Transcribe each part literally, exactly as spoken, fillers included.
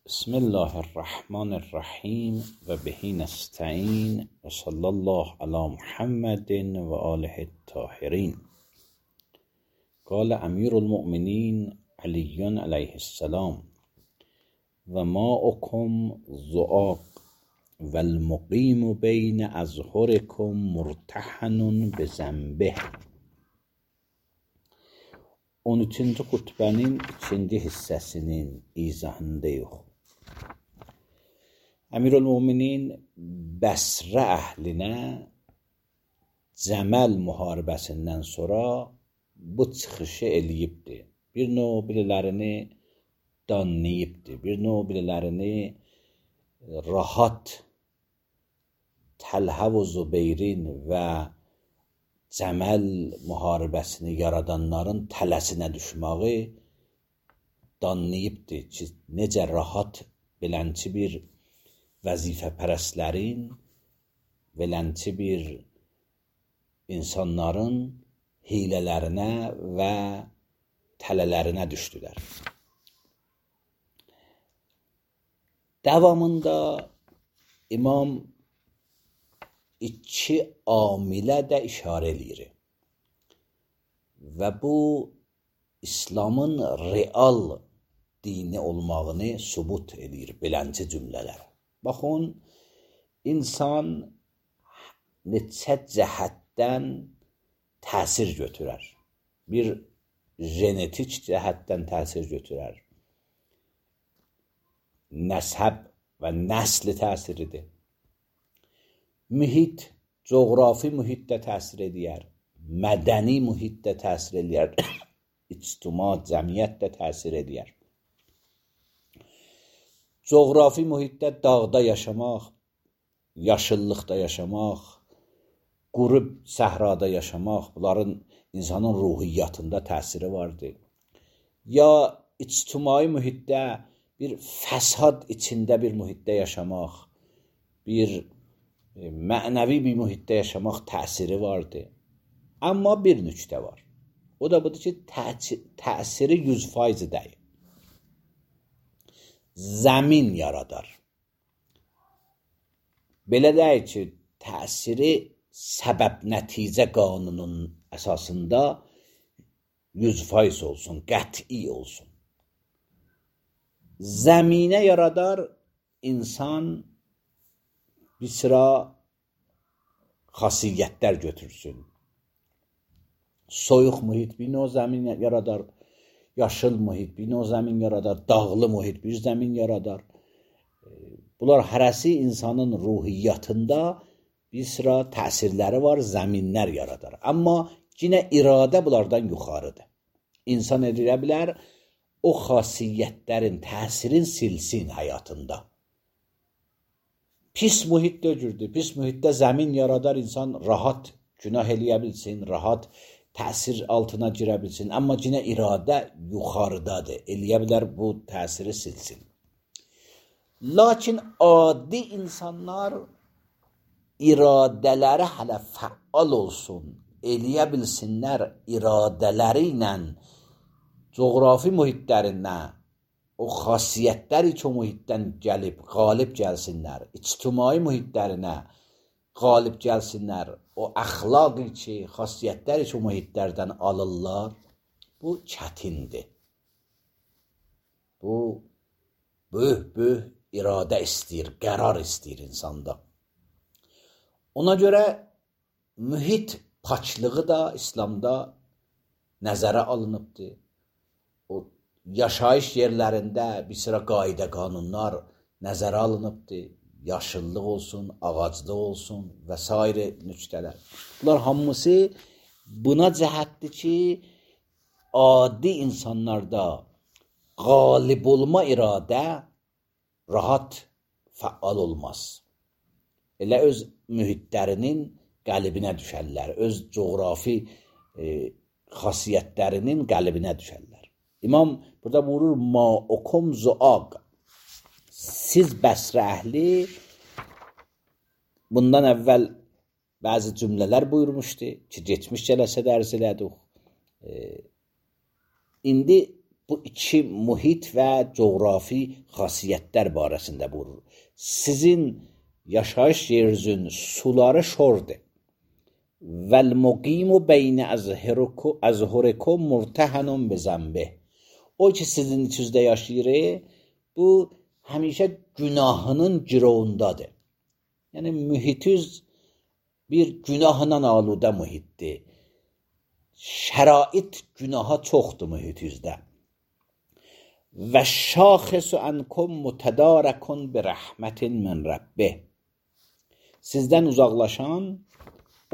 بسم الله الرحمن الرحیم و بهی نستعین و صلی الله علی محمد و آله الطاهرین. قال امیر المؤمنین علی علیه السلام: و ماؤکم ذؤاق و المقیم بین اظهرکم مرتحن بذنبه. on üçüncü xutbənin ikinci hissəsinin izahındayıq. Əmirül-Müminin Bəsrə əhlinə Cəməl müharibəsindən sonra bu çıxışı eləyibdi. Bir növ birilərini danlayıbdi. Bir növ birilərini rahat Təlhə və Zübeyrin və Cəməl müharibəsini yaradanların tələsinə düşməyi danlayıbdı ki, necə rahat belənçi bir vəzifəpərəstlərin, belənçi bir insanların hilələrinə və tələlərinə düşdülər. Davamında İmam iki amilə də işarə eləyir və bu İslamın real dini olmağını sübut eləyir belənçi cümlələr. Baxın, insan neçə cəhətdən təsir götürər. Bir genetik cəhətdən təsir götürər. Nəsəb və nəsli təsiridir. Mühit, coğrafi mühitdə təsir edir, mədəni mühitdə təsir edir, ictima, cəmiyyətdə təsir edir. Coğrafi mühitdə dağda yaşamaq, yaşıllıqda yaşamaq, qurub səhrada yaşamaq, bunların insanın ruhiyyatında təsiri vardır. Ya ictimai mühitdə bir fəsad içində bir mühitdə yaşamaq, bir mənəvi bir mühitdə yaşamaq təsiri vardır. Amma bir nüqtə var. O da budur ki, təsiri yüz faiz deyil. Zəmin yaradar. Belə deyil ki, təsiri səbəb-nəticə qanununun əsasında yüz faiz olsun, qəti olsun. Zəminə yaradar insan bir sıra xasiyyətlər götürsün. Soyuq mühit bir növ zəmin yaradar, yaşıl mühit bir növ zəmin yaradar, dağlı mühit bir zəmin yaradar. Bunlar hərəsi insanın ruhiyyatında bir sıra təsirləri var, zəminlər yaradar. Amma yenə iradə bunlardan yuxarıdır. İnsan edə bilər, o xasiyyətlərin təsirin silsin həyatında. Pis mühitdə öcürdür. Pis mühitdə zəmin yaradar, insan rahat günah eləyə bilsin, rahat təsir altına girə bilsin. Amma yenə iradə yuxarıdadır. Eləyə bilər bu təsiri silsin. Lakin adi insanlar iradələri hələ fəal olsun, eləyə bilsinlər iradələri ilə coğrafi mühitlərindən, o xasiyyətləri ki, o mühitdən gəlib, qalib gəlsinlər, ictimai mühitlərinə qalib gəlsinlər, o əxlaqı ki, xasiyyətləri ki, o mühitlərdən alırlar, bu çətindir. Bu, böyük-böyük iradə istəyir, qərar istəyir insanda. Ona görə mühit paçlığı da İslamda nəzərə alınıbdır. O yaşayış yerlərində bir sıra qayda qanunlar nəzərə alınıbdır. Yaşıllıq olsun, ağaclıq olsun və s. nüqtələr. Bunlar hamısı buna cəhətdir ki, adi insanlarda qalib olma iradə rahat fəal olmaz. Elə öz mühitlərinin qəlibinə düşərlər, öz coğrafi e, xasiyyətlərinin qəlibinə düşərlər. İmam burada buyurur, ma'ukum zuaq. Siz Bəsrə əhli, bundan əvvəl bəzi cümlələr buyurmuşdu ki, geçmiş cələsədə ərz elədik. E, indi bu iki mühit və coğrafi xasiyyətlər barəsində buyurur. Sizin yaşayış yerinizin suları şordur. Vəl muqimu beynə əzhurikum murtəhanun bizənbih. O ki sizin içinizdə yaşayır, bu həmişə günahının girovundadır. Yəni mühitiz bir günahla aludə mühitdir. Şərait günaha çoxdur mühitinizdə. Və şaxisu ankum mutadarakun bi rəhmətin min rabbih. Sizdən uzaqlaşan,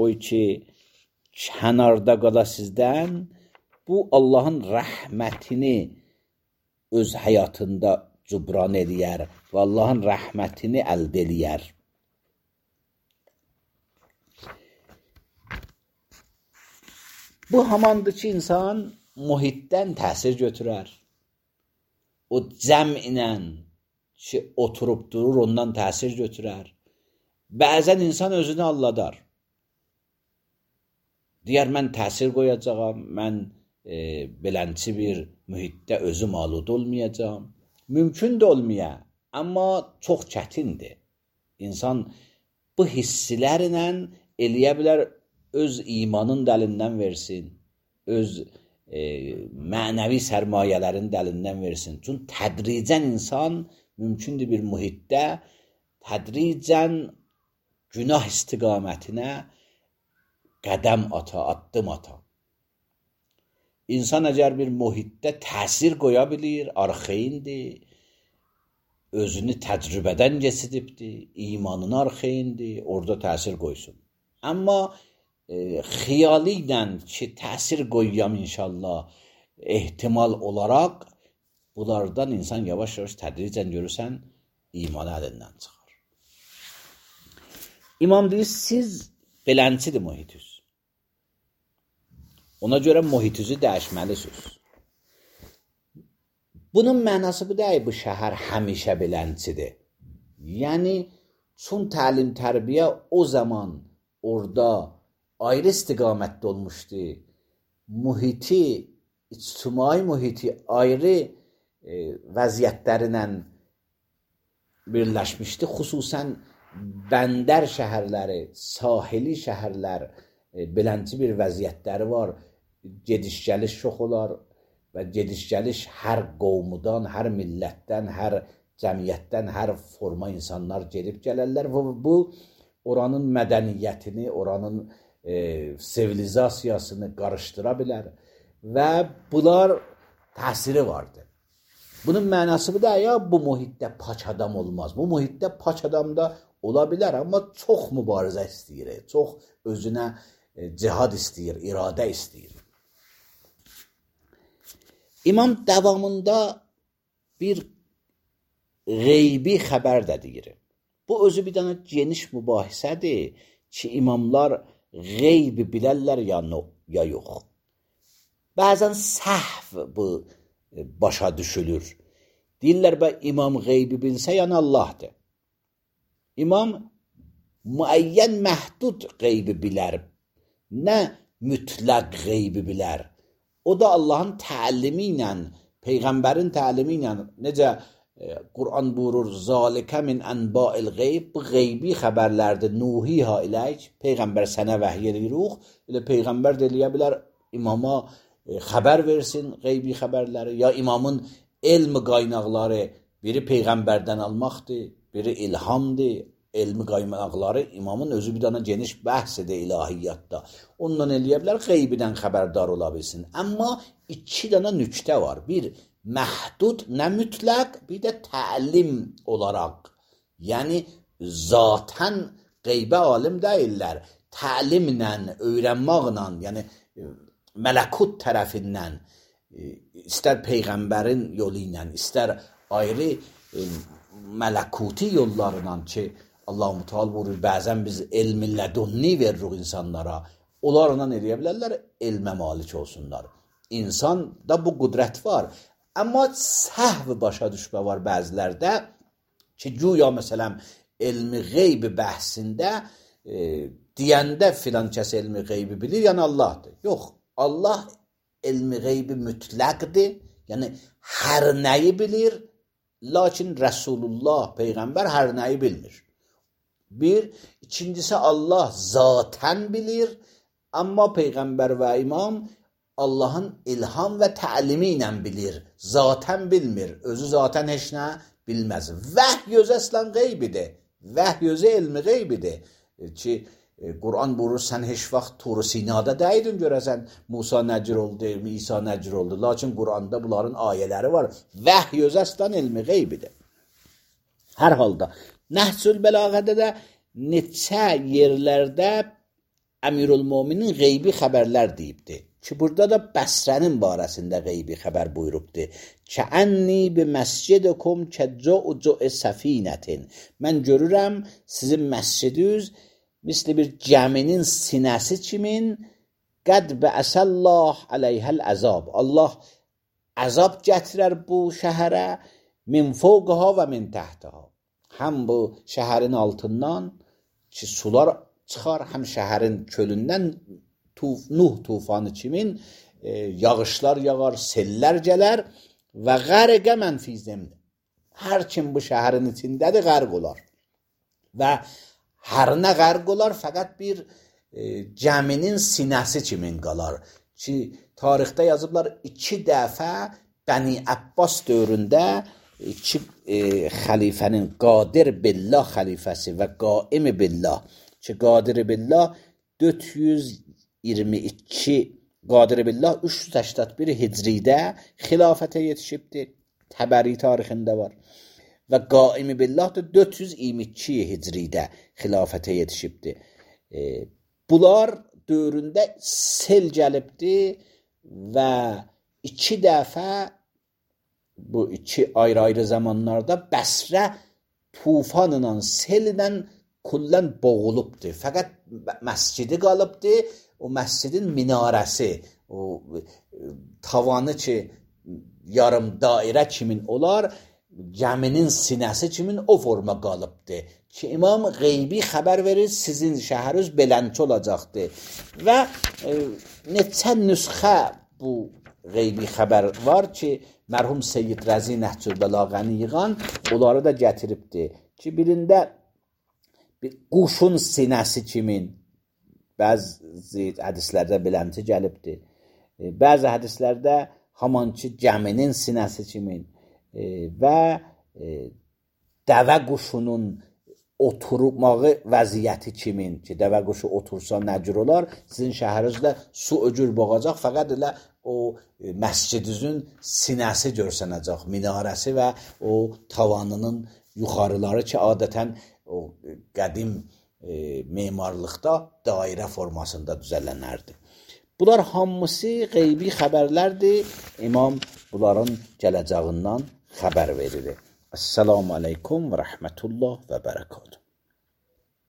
o ki kənarda qala sizdən, bu Allahın rəhmətini öz həyatında cübran eləyər və Allahın rəhmətini əldə eləyər. Bu hamandır ki, insan mühitdən təsir götürər. O cəm ilə ki, oturub durur, ondan təsir götürər. Bəzən insan özünü alladar. Deyər, mən təsir qoyacağam, mən e, belənçi bir mühitdə özüm alud olmayacağam. Mümkün də olmaya, amma çox çətindir. İnsan bu hissilərlə eləyə bilər, öz imanın dəlindən versin, öz e, mənəvi sərmayələrin dəlindən versin. Çünki tədricən insan mümkündür bir mühitdə tədricən günah istiqamətinə qədəm ata, addım ata. İnsan əgər bir mühitdə təsir qoya bilir, arxeyindir, özünü təcrübədən keçidibdir, imanını arxeyindir, orada təsir qoysun. Amma e, xiyali ilə ki, təsir qoyuyam inşallah, ehtimal olaraq bunlardan insan yavaş-yavaş tədricən görürsən, imanı əlindən çıxar. İmam deyir, siz belənçidir mühitiniz. Ona görə mühitinizi dəyişməlisiniz. Bunun mənası bu deyil, bu şəhər həmişə belənçidir. Yəni, çün təlim tərbiyə o zaman orada ayrı istiqamətdə olmuşdu. Mühiti, ictimai mühiti ayrı e, vəziyyətlərinə birləşmişdi. Xüsusən bəndər şəhərləri, sahili şəhərlər, e, belənçi bir vəziyyətləri var. Gediş-gəliş çox olar və gediş-gəliş hər qovmudan, hər millətdən, hər cəmiyyətdən, hər forma insanlar gedib gələrlər və bu oranın mədəniyyətini, oranın e, sivilizasiyasını qarışdıra bilər və bunlar təsiri vardır. Bunun mənası bu da ya, bu mühitdə paç adam olmaz. Bu mühitdə paç adam da ola bilər, amma çox mübarizə istəyir, çox özünə e, cihad istəyir, iradə istəyir. İmam davamında bir qeybi xəbər də deyir. Bu özü bir dənə geniş mübahisədir ki, imamlar qeybi bilərlər ya, no, ya yox. Bəzən səhv bu başa düşülür. Deyirlər, bə imam qeybi bilsə, yəni Allahdır. İmam müəyyən məhdud qeybi bilər, nə mütləq qeybi bilər. O da Allahın təlimi ilə, Peyğəmbərin təlimi ilə, necə e, Quran buyurur, zalikə min ənba'il qeyb, bu qeybi xəbərlərdir, nuhiha iləyk, Peyğəmbər sənə vəhiy edirik, elə Peyğəmbər də eləyə bilər, imama e, xəbər versin qeybi xəbərləri, ya imamın elm qaynaqları biri Peyğəmbərdən almaqdır, biri ilhamdır, elmi qaynaqları imamın özü bir dana geniş bəhsədir ilahiyyatda. Ondan eləyə bilər, qeybidən xəbərdar ola bilsin. Amma iki dana nüktə var. Bir, məhdud, nə mütləq, bir də təlim olaraq. Yəni, zatən qeybə alim deyirlər. Təlimlə, öyrənmaqla, yəni mələkut tərəfindən, istər Peyğəmbərin yolu ilə, istər ayrı mələkuti yollarla ki, Allah-u Teala buyurur, bəzən biz elmi lədunni veririk insanlara, onlarla eləyə bilərlər, elmə malik olsunlar. İnsanda bu qüdrət var. Amma səhv başa düşmə var bəzilərdə ki, güya məsələn, elmi qeybi bəhsində e, deyəndə filan kəs elmi qeybi bilir, yəni Allahdır. Yox, Allah elmi qeybi mütləqdir, Yəni hər nəyi bilir, lakin Rəsulullah peyğəmbər hər nəyi bilmir. Bir, ikincisi Allah zatən bilir, amma peyğəmbər və imam Allahın ilham və təlimi ilə bilir, zatən bilmir, özü zatən heç nə bilməz. Vəhy özü əslən qeybidir, vəhy özü elmi qeybidir ki, Quran buyurur, sən heç vaxt Tur Sinada dəydin görəsən Musa nəcir oldu, İsa nəcir oldu. Lakin Quranda bunların ayələri var. Vəhy özü əslən elmi qeybidir. Hər halda Nəhcül Bəlağədə də neçə yerlərdə Əmirül-Möminin qeybi xəbərlər deyibdir. Ki, burada da Bəsrənin barəsində qeybi xəbər buyurubdur. Kəənni bi məscidikum kəcəucə səfinətin. Mən görürəm sizin məscidiniz misli bir gəminin sinəsi kimin qəd bəəsəllah əleyhəl əzab. Allah əzab gətirər bu şəhərə min fوقها və min təhtəha. Həm bu şəhərin altından ki, sular çıxar, həm şəhərin kölündən tuf, Nuh tufanı kimin e, yağışlar yağar, sellər gələr və qərqə mən fi zemdə. Hər kim bu şəhərin içindədir, qərq olar. Və hər nə qərq olar, fəqət bir e, gəminin sinəsi kimin qalar. Ki, tarixdə yazıblar iki dəfə Bəni Abbas dövründə iki e, xəlifənin Qadir Billah xəlifəsi və Qaim Billah ki, Qadir Billah dörd yüz iyirmi iki Qadir Billah üç yüz səksən bir hicridə xilafətə yetişibdir. Təbəri tarixində var. Və Qaim Billah da dörd yüz iyirmi iki hicridə xilafətə yetişibdir. E, bunlar dövründə sel gəlibdir və iki dəfə bu iki ayrı-ayrı zamanlarda Bəsrə tufanla, sellə kullən boğulubdur. Fəqət məscidi qalıbdır, o məscidin minarəsi, o tavanı ki, yarım dairə kimin olar, gəminin sinəsi kimin o forma qalıbdır. Ki, imam qeybi xəbər verir, sizin şəhəriniz belənçi olacaqdır. Və e, neçə nüsxə bu qeybi xəbər var ki, mərhum Seyyid Rəzi Nəhcül Bəlağəni yığan, onları da gətiribdir. Ki, birində bir quşun sinəsi kimin, bəzi hədislərdə belənçi gəlibdir. E, bəzi hədislərdə haman ki, gəminin sinəsi kimin e, və e, dəvə quşunun oturmağı vəziyyəti kimin ki, dəvə quşu otursa nəcür olar, sizin şəhərinizdə su öcür boğacaq, fəqət elə o e, məscidinizin sinəsi görsənəcək, minarəsi və o tavanının yuxarıları ki, adətən o qədim e, memarlıqda dairə formasında düzələnərdir. Bunlar hamısı qeybi xəbərlərdir. İmam bunların gələcəyindən xəbər verir. Esselamu aleykum və rəhmətullah və bərəkatuhu.